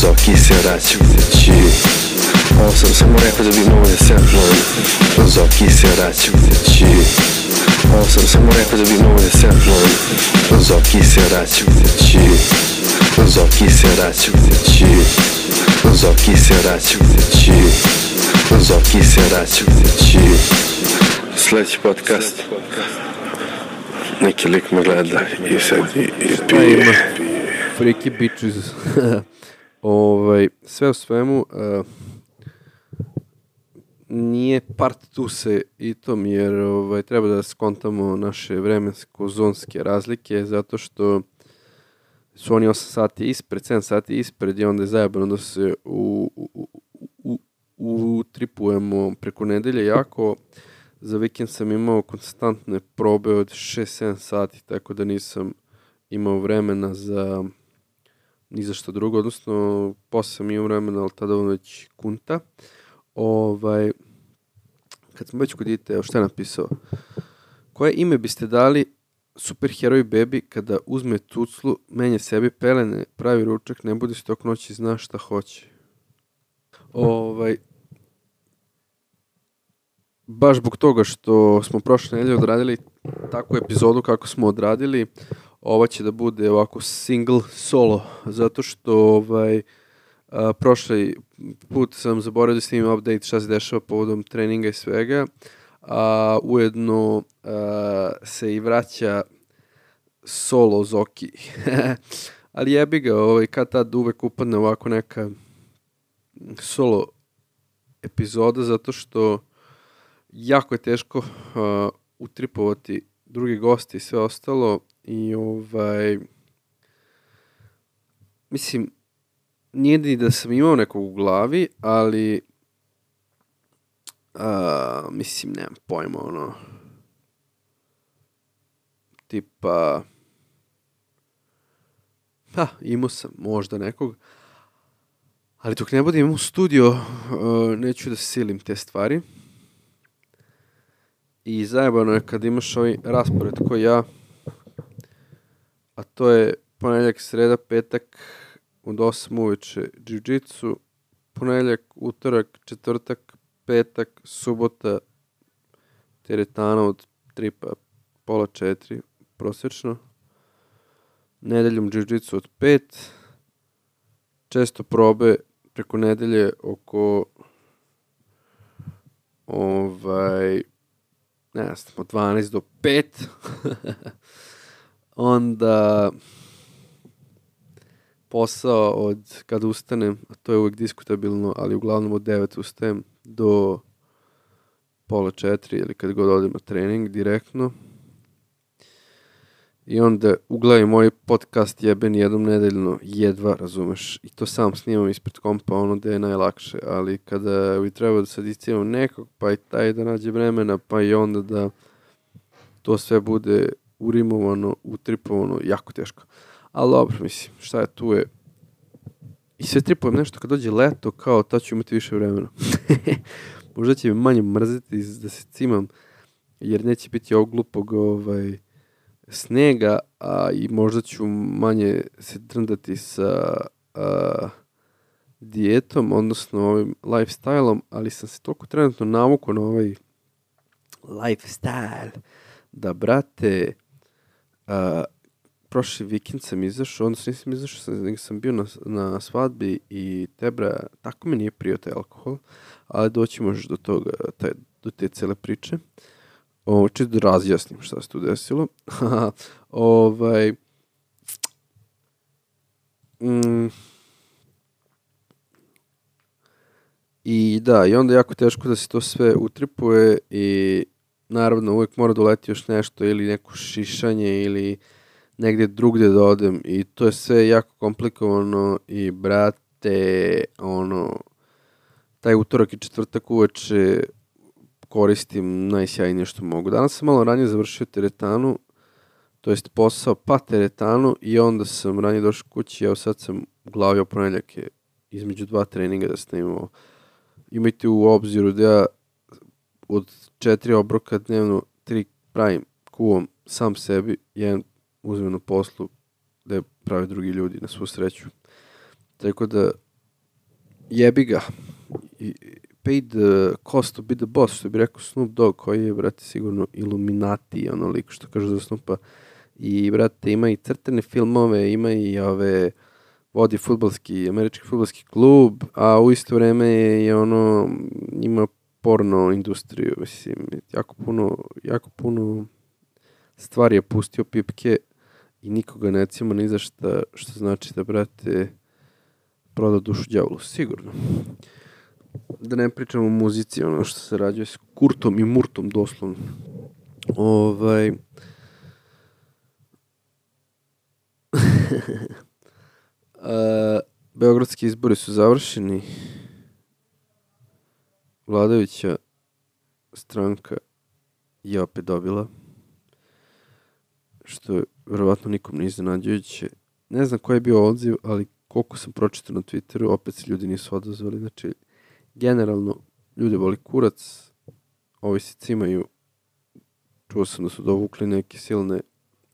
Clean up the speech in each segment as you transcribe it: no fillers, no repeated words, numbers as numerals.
Zoki se vraća kući. Ovo sam samo rekao da bi mogo da se apnujem. Zoki se vraća kući. Ovo sam samo rekao da bi mogo da se apnujem. Zoki se vraća kući. Zoki se vraća kući. Zoki se vraća kući. Zoki se vraća kući. Sljedeći podcast. Neki lik me gleda i sad i pije. Freaky bitches. Sve u svemu, nije part tu se i tom, jer treba da skontamo naše vremensko-zonske razlike, zato što su oni 8 sati ispred, 7 sati ispred i onda je zajebano da se utripujemo preko nedelje jako. Za vikend sam imao konstantne probe od 6-7 sati, tako da nisam imao vremena za ni za što drugo, odnosno posle sam imao vremena, ali tada već kunta. Kad sam već kod dite, šta je napisao? Koje ime biste dali superheroj bebi kada uzme tuclu, menja sebi pelene, pravi ručak, ne budi stok noći, zna šta hoće? Baš zbog toga što smo prošle nedelje odradili takvu epizodu kako smo odradili, ova će da bude ovako single solo, zato što prošli put sam zaboravio da snimim update šta se dešava povodom treninga i svega, a ujedno se i vraća solo Zoki. Ali jebi ga, kad tad uvek upadne ovako neka solo epizoda, zato što jako je teško utripovati drugi gosti i sve ostalo i mislim, nije ni da sam imao nekog u glavi, ali mislim, nemam pojma, tipa imao sam možda nekog, ali dok ne budem imao studio, neću da silim te stvari. I zajebano je kad imaš ovaj raspored koji ja, a to je ponedjeljak, sreda, petak od 8 uveče jiu-jitsu, ponedjeljak, utorak, četvrtak, petak, subota, teretana od 3 pa pola 4 prosječno, nedeljom jiu-jitsu od 5, često probe preko nedelje oko ne znam, od 12 do 5. Onda posao od kada ustanem, a to je uvijek diskutabilno, ali uglavnom od 9 ustajem do pola 4 ili kad god odem na trening direktno. I onda uglavim moj podcast jeben jednom nedeljno, jedva, razumeš, i to sam snimam ispred kompa, gde je najlakše, ali kada bi trebao da sad iscijemam nekog, pa i taj da nađe vremena, pa i onda da to sve bude urimovano, utripovano, jako teško. Ali dobro, mislim, šta je tu je. I sve tripujem nešto kad dođe leto, kao tad ću imati više vremena. Možda će mi manje mrziti da se cimam, jer neće biti ovog glupog snega, a i možda ću manje se drndati sa dijetom, odnosno ovim lifestyle-om, ali sam se toliko trenutno navukao na ovaj lifestyle da, brate, prošli vikend sam izašao, odnosno nisam izašao, nego sam bio na svadbi i tako mi nije prijao taj alkohol, ali doći možeš do toga, do te cele priče. Čisto da razjasnim šta se tu desilo. I da, i onda jako teško da se to sve utripuje i naravno uvijek mora doleti još nešto ili neko šišanje ili negdje drugdje da odem i to je sve jako komplikovano i brate, taj utorak i četvrtak uveče koristim najsjajnije što mogu. Danas sam malo ranije završio teretanu, to jest posao pa teretanu i onda sam ranije došao kući, evo sad sam u glavi o ponedjeljake između 2 treninga da sam imao. Imajte u obziru da ja od 4 obroka dnevno 3 pravim kuvom sam sebi, jedan uzmem na poslu da pravi drugi ljudi na svu sreću. Tako da jebi ga. Paid cost to be the boss, što bi rekao Snoop Dogg, koji je, brate, sigurno Illuminati, ono lik što kaže za Snoopa. I, brate, ima i crtene filmove, ima i vodi američki fudbalski klub, a u isto vreme je ono, ima porno industriju, mislim, jako puno stvari je pustio pipke i nikoga ne cima ni za šta, što znači da, brate, proda dušu đavolu, sigurno. Da ne pričamo o muzici, ono što se rađuje s Kurtom i Murtom, doslovno. Beogradski izbori su završeni. Vladajuća stranka je opet dobila, što je verovatno nikom ne iznenađujuće. Ne znam koji je bio odziv, ali koliko sam pročitao na Twitteru, opet se ljudi nisu odazvali. Znači, generalno, ljudi boli kurac, ovi se cimaju. Čuo sam da su dovukli neke silne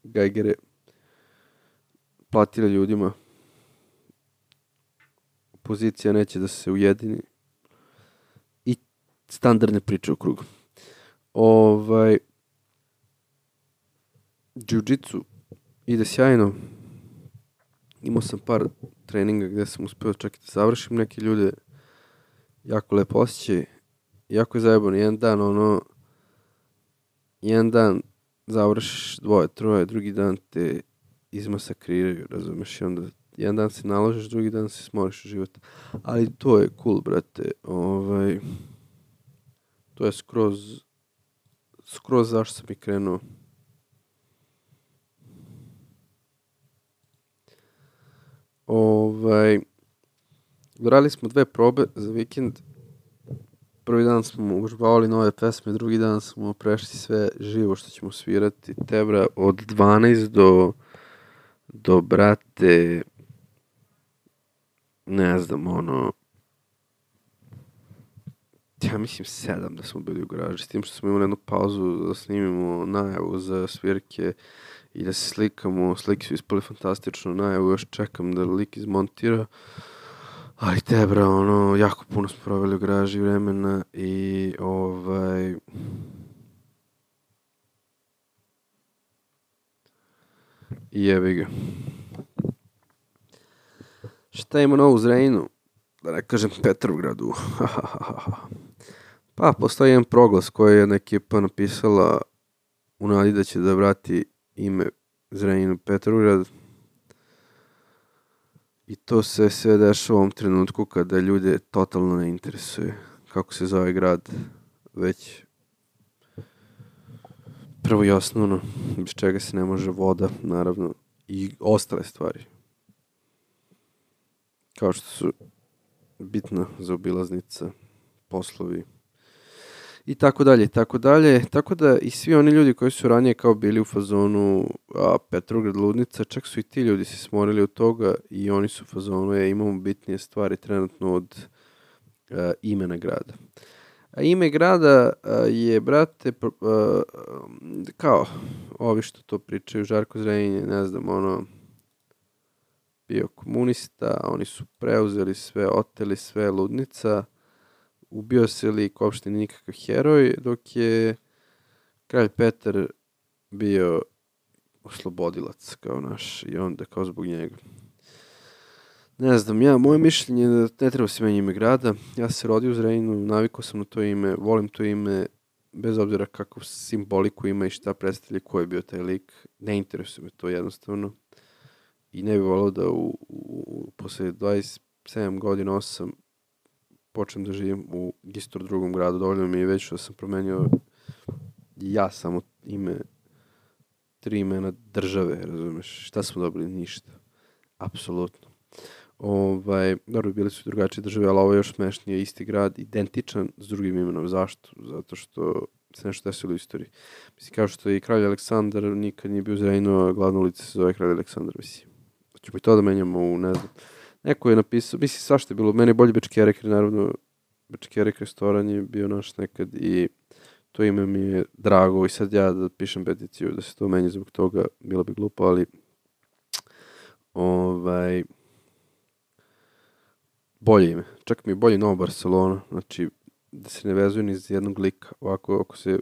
gajgere, platili ljudima. Opozicija neće da se ujedini. I standardne priče u krugu. Jiu-jitsu ide sjajno. Imao sam par treninga gdje sam uspio čak i da završim neke ljude. Jako lepo osjećaj. Jako je zajebano. Jedan dan završiš 2-3, drugi dan te izmasakriraju, razumeš? I onda jedan dan se naložiš, drugi dan se smoriš u život. Ali to je cool, brate. To je skroz zašto sam i krenuo. Uradili smo 2 probe za vikend. Prvi dan smo užbavali nove pesme, drugi dan smo prešli sve živo što ćemo svirati. Tebra od 12 do brate, ne znam, ja mislim 7 da smo bili u garaži, s tim što smo imali jednu pauzu da snimimo najavu za svirke i da se slikamo. Slike su ispali fantastično, najavu još čekam da lik izmontira. Ali Tebra, jako puno smo proveli u garaži vremena i i jebi ga. Šta ima novo u Zrenjaninu? Da ne kažem Petrovgradu. Pa, postoji jedan proglas koji je jedna ekipa napisala u nadi da će da vrati ime Zrenjaninu Petrovgrad. I to se sve dešava u ovom trenutku kada ljude totalno ne interesuje kako se zove grad, već prvo i osnovno, bez čega se ne može voda, naravno, i ostale stvari. Kao što su bitna zaobilaznica, poslovi i tako dalje, tako dalje. Tako da i svi oni ljudi koji su ranije kao bili u fazonu Petrograd ludnica, čak su i ti ljudi se smorili od toga i oni su u fazonu, imamo bitnije stvari trenutno od imena grada. A ime grada je, brate, kao ovi što to pričaju, Žarko Zrenjanin, ne znam, bio komunista, oni su preuzeli sve, oteli sve, ludnica, ubio se lik, uopšte nikakav heroj, dok je kralj Petar bio oslobodilac kao naš i onda kao zbog njega. Ne znam, moje mišljenje je da ne treba se menja ime grada. Ja se rodio u Zrenjaninu, navikao sam na to ime, volim to ime, bez obzira kakvu simboliku ima i šta predstavlja, ko je bio taj lik. Ne interesuje me to jednostavno. I ne bih volio da posle 27 godina, 8, počnem da živim u isto drugom gradu. Dovoljno mi je već da sam promenio ja samo ime, 3 imena države, razumeš? Šta smo dobili? Ništa. Apsolutno. Dobro, bili su drugačije države, ali ovo je još smešnije, isti grad, identičan s drugim imenom. Zašto? Zato što se nešto desilo u istoriji. Mislim, kao što i kralj Aleksandar nikad nije bio u Zrenjaninu, a glavna ulica se zove kralj Aleksandar, mislim. Ćemo i to da menjamo u, ne znam. Neko je napisao, mislim, svašta je bilo, meni je bolje Bečkerek, jer naravno Bečkerek restoran je bio naš nekad i to ime mi je drago i sad ja da pišem peticiju da se to menja zbog toga, bilo bi glupo, ali bolje ime. Čak mi je bolje Nova Barcelona. Znači, da se ne vezuje ni za jednog lika. Ovako, ako se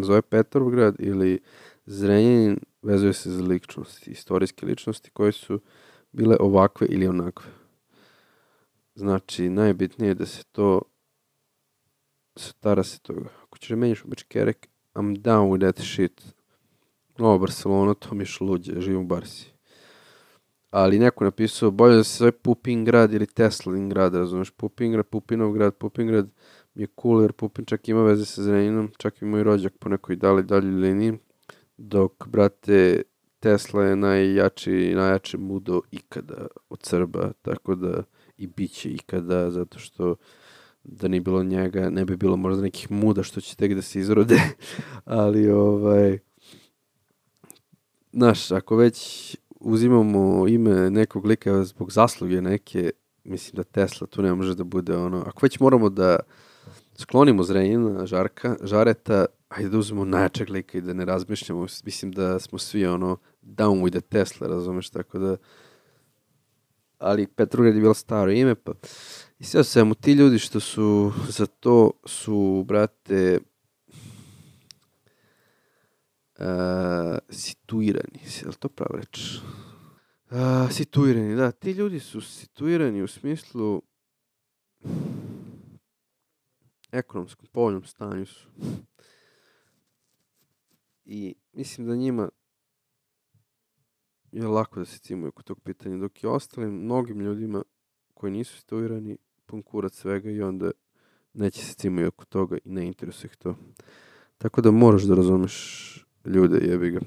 zove Petrovgrad ili Zrenjanin, vezuje se za ličnosti, istorijske ličnosti koje su bile ovakve ili onakve. Znači, najbitnije je da se to stara se toga. Ako ćeš da menjaš u Bečkerek, I'm down with that shit. Nova Barcelona, to mi je šluđe, živim u Barsi. Ali neko napisao, bolje da se zove Pupingrad ili Teslin grad, razumeš? Pupingrad, Pupinov grad, Pupingrad mi je cool, jer Pupin čak ima veze sa Zrenjaninom, čak i moj rođak po nekoj daljoj liniji, dok, brate, Tesla je najjače mudo ikada od Srba, tako da i bit će ikada, zato što da nije bilo njega, ne bi bilo možda nekih muda što će tek da se izrode, ali znaš, ako već uzimamo ime nekog lika zbog zasluge neke, mislim da Tesla tu ne može da bude ono, ako već moramo da sklonimo Zrenjanina, Žareta, ajde da uzmemo najjačeg lika i da ne razmišljamo, mislim da smo svi ono down with the Tesla, razumeš, tako da, ali Petrograd je bilo staro ime, pa i sve svemu, ti ljudi što su za to su, brate, situirani, je li to pravo reč? Situirani, da, ti ljudi su situirani u smislu ekonomskom, povoljnom stanju su. I mislim da njima je lako da se cimuju kod tog pitanja, dok je ostalim mnogim ljudima koji nisu situirani pun kurac svega i onda neće se cimuju oko toga i ne interesuje ih to. Tako da moraš da razumeš ljude, jebi ga.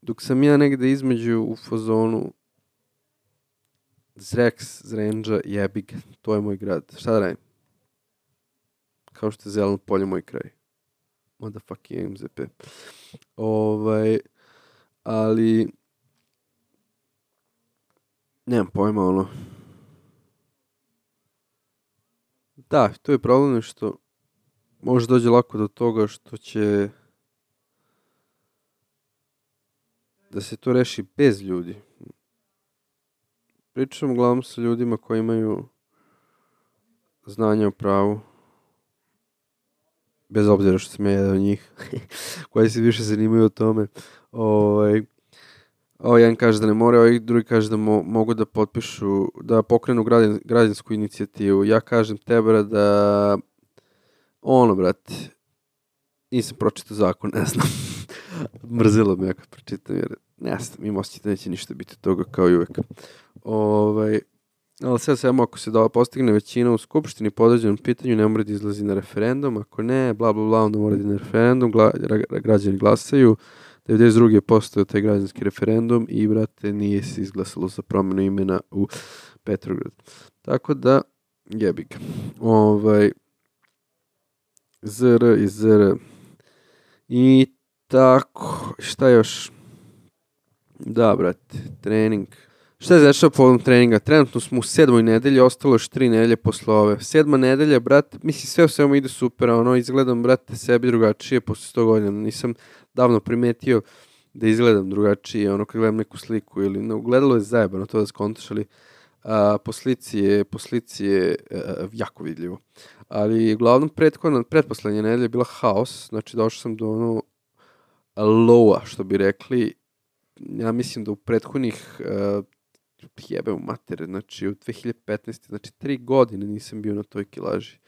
Dok sam ja negde između u fazonu Zrenđa, jebi ga, to je moj grad. Šta da radim? Kao što je Zeleno polje moj kraj. Motherfucking MZP. Ali nemam pojma, ono. Da, to je problem što može dođe lako do toga što će da se to reši bez ljudi. Pričam uglavnom sa ljudima koji imaju znanja o pravu, bez obzira što sam ja jedan od njih, koji se više zanimaju o tome. Jedan kaže da ne more, drugi kaže da mogu da potpišu, da pokrenu građansku inicijativu. Ja kažem tebe da brate, nisam pročitao zakon, ne znam. Mrzilo me kad pročitam, jer ne znam, imam osjećaj da neće ništa biti toga kao i uvek. Ali sve samo ako se postigne većina u skupštini po određenom pitanju, ne mora da izlazi na referendum, ako ne, bla bla bla, onda mora da na referendum, građani glasaju, 92. je postao taj građanski referendum i, brate, nije se izglasalo za promjenu imena u Petrograd. Tako da, jebi ga. ZR i ZR. I tako, šta još? Da, brate, trening. Šta je znači povodom treninga? Trenutno smo u 7. nedelji, ostalo još 3 nedelje posle ove. 7. nedelja, brate, mislim sve u svemu ide super, izgledam, brate, sebi drugačije posle 100 godina. Nisam davno primetio da izgledam drugačije, kad gledam neku sliku ili na ugledalo je zajebano to da skontaš, ali po slici je jako vidljivo. Ali uglavnom pretposlednje nedelje je bila haos, znači došao sam do lowa, što bi rekli. Ja mislim da u prethodnih jebe u matere, znači u 2015. Znači 3 godine nisam bio na toj kilaži.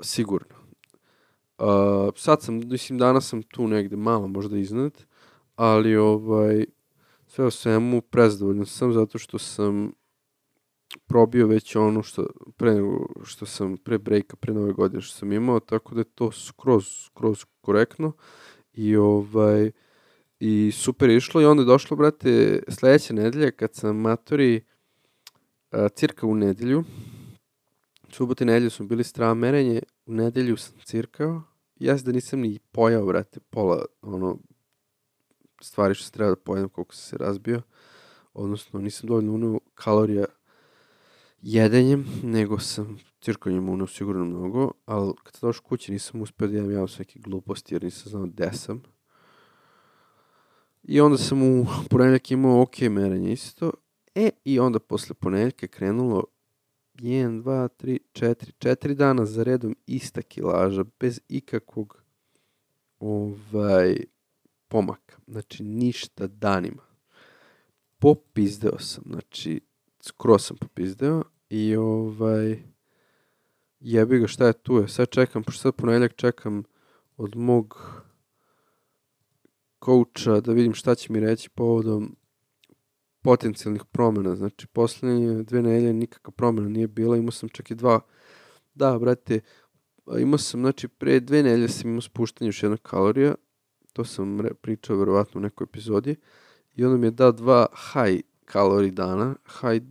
Sigurno. Sad sam, mislim danas sam tu negde malo možda iznad, ali sve o svemu prezadovoljan sam zato što sam probio već ono što sam pre breaka, pre nove godine što sam imao, tako da je to skroz korektno i super je išlo i onda je došlo, brate, sledeće nedelje kad sam matori cirka u nedelju. Subote i nedelju smo bili strava merenje, u nedelju sam cirkao. Ja da nisam ni pojao, brate, pola stvari što se treba da pojedem koliko sam se razbio. Odnosno, nisam dovoljno uneo kalorija jedenjem, nego sam cirkanjem uneo sigurno mnogo, ali kad sam došao kući nisam uspio da imam sve neke gluposti jer nisam znao gde sam. I onda sam u ponedeljak imao ok merenje isto. I onda posle ponedjeljka je krenulo 1, 2, 3, 4 dana za redom ista kilaža, bez ikakvog pomaka. Znači, ništa danima. Popizdeo sam, znači, skroz sam popizdeo i jebi ga, šta je tu je. Sad čekam, pošto sad ponedjeljak čekam od mog coacha da vidim šta će mi reći povodom potencijalnih promjena. Znači, poslednje 2 nedelje nikakva promjena nije bila, imao sam čak i 2. Da, brate, imao sam, znači, pre 2 nedelje sam imao spuštanje još 1 kalorija, to sam pričao verovatno u nekoj epizodi, i onda mi je dao 2 high kalorij dana, high,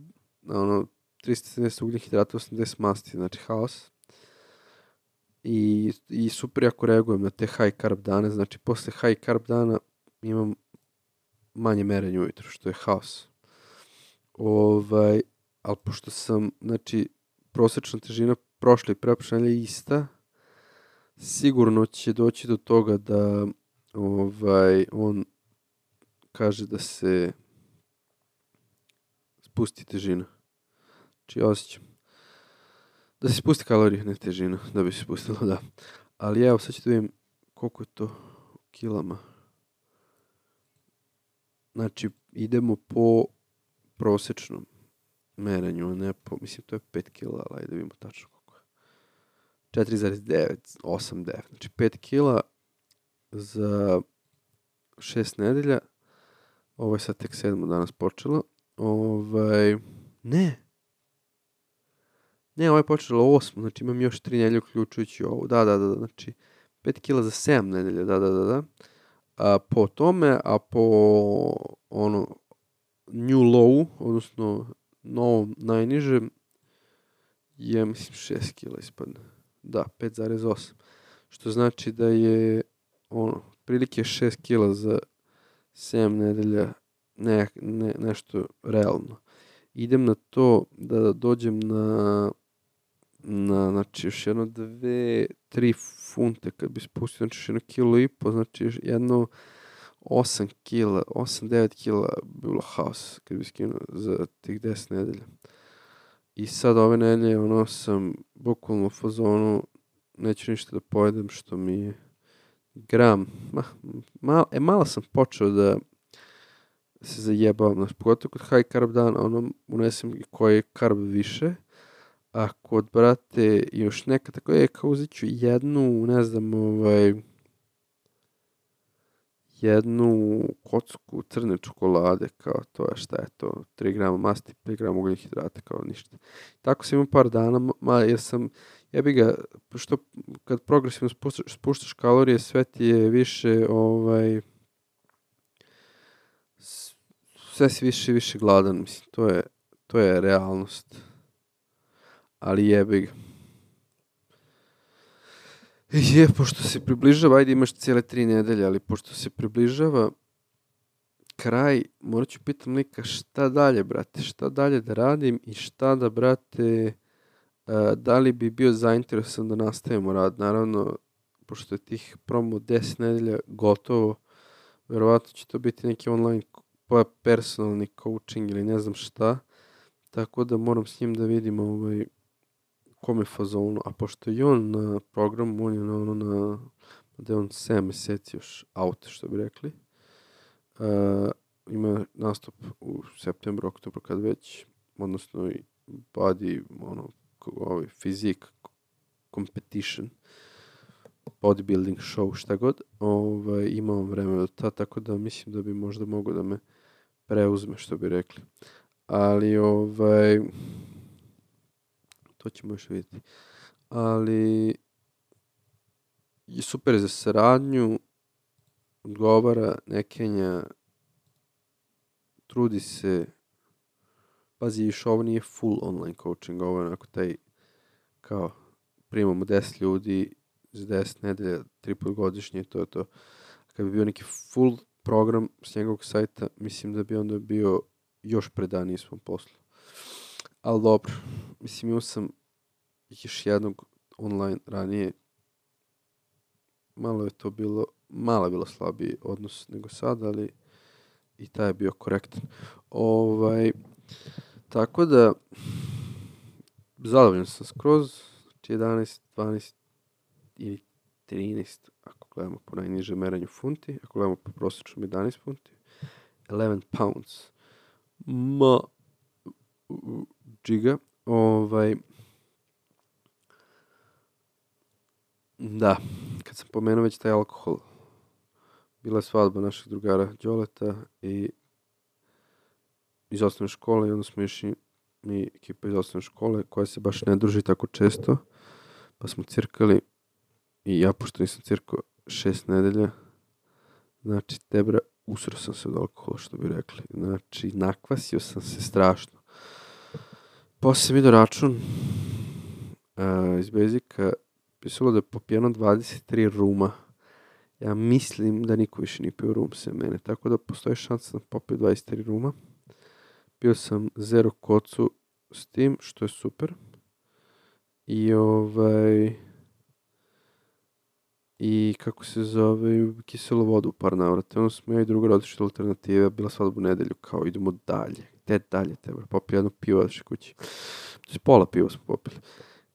370 ugljenih hidrata, 80 masti, znači haos. I super jako reagujem na te high carb dane, znači posle high carb dana imam manje merenja ujutru, što je haos. Ali pošto sam, znači, prosječna težina prošle i preprošle nedelje ista, sigurno će doći do toga da on kaže da se spusti težina. Znači, osjećam. Da se spusti kalorije, ne težina, da bi se spustilo, da. Ali evo, sad ću da vidim koliko je to u kilama. Znači, idemo po prosječnom merenju, ne po, mislim, to je 5 kila, ali ajde da vidimo tačno koliko je. 4,9, 8, 9. Znači, 5 kila za 6 nedelja. Ovo je sad tek 7 danas počelo. Ne, ovo je počelo 8, znači imam još 3 nedelje uključujući ovo. Da, znači 5 kila za 7 nedelja, da. Po tome, a po new low, odnosno novom najnižem, je, mislim, 6 kila ispadne. Da, 5,8. Što znači da je, prilike 6 kila za 7 nedelja, nešto realno. Idem na to da dođem na znači još 2, 3 funte kad bi spustio, znači još 1,5 kg, znači jedno 8 kila, 8-9 kila bi bilo haos kad bi skinuo za tih 10 nedelja. I sad ove nedelje sam bukvalno u fazonu, neću ništa da pojedem što mi je gram. Malo sam počeo da se zajebavam, pogotovo kod high carb dana, unesem koji je carb više, a kod, brate, još neka tako je, kao uzet ću jednu kocku crne čokolade, kao to je, šta je to, 3 grama masti, 5 grama ugljenih hidrata, kao ništa. Tako sam imao par dana, jer sam, jebi ga, što kad progresivno spuštaš kalorije, sve ti je više, sve si više i više gladan, mislim, to je realnost. Ali jebi ga. Pošto se približava, ajde imaš cijele 3 nedelje, ali pošto se približava kraj, morat ću pitam lika šta dalje, brate, šta dalje da radim i šta da, brate, da li bi bio zainteresovan da nastavimo rad. Naravno, pošto je tih promo 10 nedelja gotovo, verovatno će to biti neki online personalni coaching ili ne znam šta, tako da moram s njim da vidim kome fazonu, a pošto je on na programu, on je da je on 7 meseci još out, što bi rekli. Ima nastup u septembru, oktobru, kad već, odnosno i body, fizik, competition, bodybuilding show, šta god, imam vreme do tada, tako da mislim da bi možda mogao da me preuzme, što bi rekli. Ali, to ćemo još vidjeti. Ali, super je za saradnju, odgovara, ne kenja, trudi se, pazi, još ovo nije full online coaching, ovo je onako taj, kao, primamo 10 ljudi, za 10 nedelja, 3 put godišnje, to je to. Kad bi bio neki full program s njegovog sajta, mislim da bi onda bio još predaniji svom poslu. Ali dobro, mislim, imao sam još jednog online ranije, malo je bilo slabiji odnos nego sad, ali i taj je bio korektan. Tako da, zadovoljan sam skroz, znači 11, 12 ili 13, ako gledamo po najnižem meranju funti, ako gledamo po prosječnom 11 funti, 11 pounds, džiga, da, kad sam pomenuo već taj alkohol, bila je svadba našeg drugara Đoleta i iz osnovne škole i onda smo išli mi ekipa iz osnovne škole koja se baš ne druži tako često, pa smo cirkali i ja pošto nisam cirkao 6 nedelja, znači tebra, usro sam se od alkohola što bi rekli, znači nakvasio sam se strašno. Posle sam vidio račun iz Basica, pisalo da je popijeno 23 ruma. Ja mislim da niko više nije pio rum sem mene, tako da postoji šansa da popio 23 ruma. Pio sam 0 kocu s tim, što je super. I kako se zove, kiselu vodu u par navrata. Onda smo ja i druga otišli alternative, bila svadba u nedelju, kao idemo dalje. Gde dalje tebe? Popio jedno pivo otišli kući. Pola piva smo popili.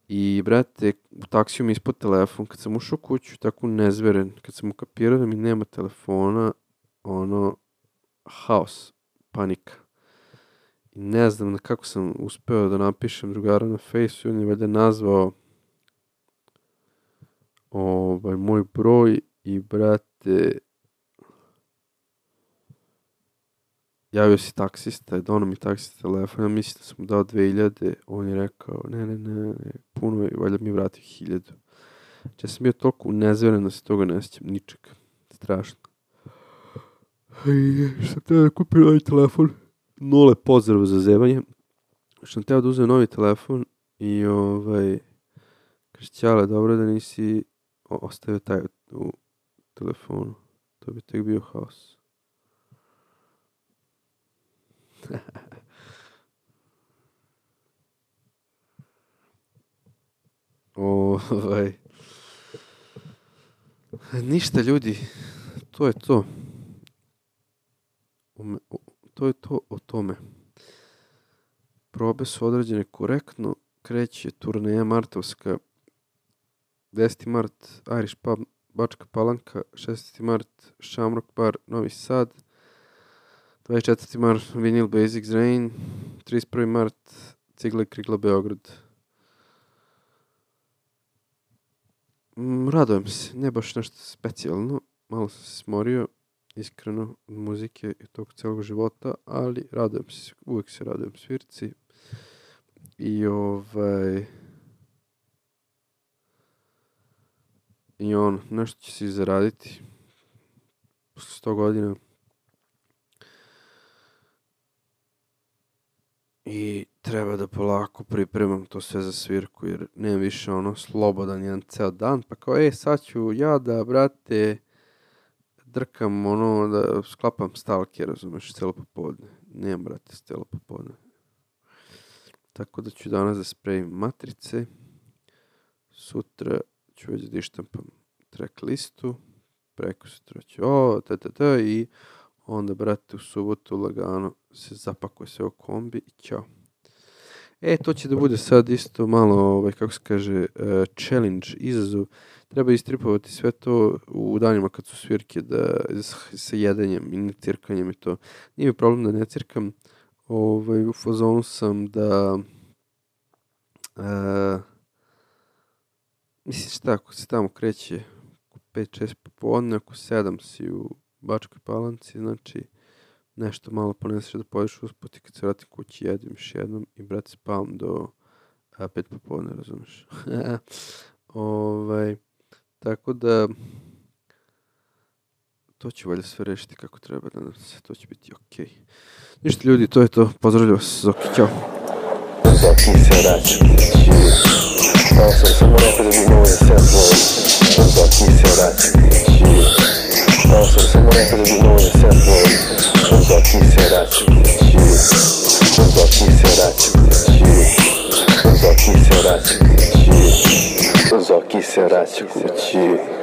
I, brate, u taksiju mi ispod telefon, kad sam ušao kuću, tako nezveren, kad sam ukapirao da mi nema telefona, haos, panika. I ne znam kako sam uspeo da napišem drugara na Fejsu, on je valjda nazvao moj broj i, brate, javio si taksista, dono mi taksista telefon, ja mislim da sam mu dao 2000, on je rekao, ne, puno je, valjda mi je vratio 1000. Znači ja sam bio toliko nezveren da se toga ne sjećam, ničeg, strašno. I što sam teo da kupim novi telefon, nule pozdrav za zevanje, što sam teo da uzem novi telefon i kaže Ćale, dobro da nisi ostavio taj u telefonu, to bi tek bio haos. Ništa ljudi, to je to. To je to o tome. Probe su određene korektno, kreće turneja martovska, 10. mart Irish Pub Bačka Palanka, 16. mart Shamrock Bar Novi Sad, 24. mart Vinyl Basics Rain, 31. mart Cigla i Krigla Beograd. Radujem se, ne baš nešto specijalno, malo sam se smorio, iskreno, od muzike i tog celog života, ali radujem se, uvijek se radujem svirci. I nešto će se zaraditi posle 100 godina. I treba da polako pripremam to sve za svirku, jer nemam više slobodan jedan ceo dan, pa kao, sad ću ja da, brate, drkam da sklapam stalke, razumeš, celo popodne. Nemam, brate, celo popodne. Tako da ću danas da spremim matrice, sutra ću već da ištampam track listu, preko sutra ću i onda, brate, u subotu lagano se zapakuje sve u kombi i ćao. To će da bude sad isto malo, kako se kaže, challenge, izazov. Treba istripovati sve to u danima kad su svirke, sa jedenjem i necirkanjem i to. Nije mi problem da ne cirkam, u fazonu sam da, mislim šta, ako se tamo kreće oko 5-6 popodne, oko 7 si u Bačkoj Palanci, znači nešto malo poneseš da poješ usput i kad se vratim kući jedim još jednom i, brate, spavam do 5 popodne, razumiješ? Tako da to će valjda sve rešiti kako treba, nadam se, to će biti okej. Ništa ljudi, to je to, pozdravljam vas, Zoki, ćao. Zoki se vraća kući, samo rekao da bi mogo da se odvoji. Zoki se vraća kući, samo rekao da bi mogo da se odvoji. Zoki se vraća kući, Zoki se vraća kući, Zoki se vraća kući, Zoki se vraća kući.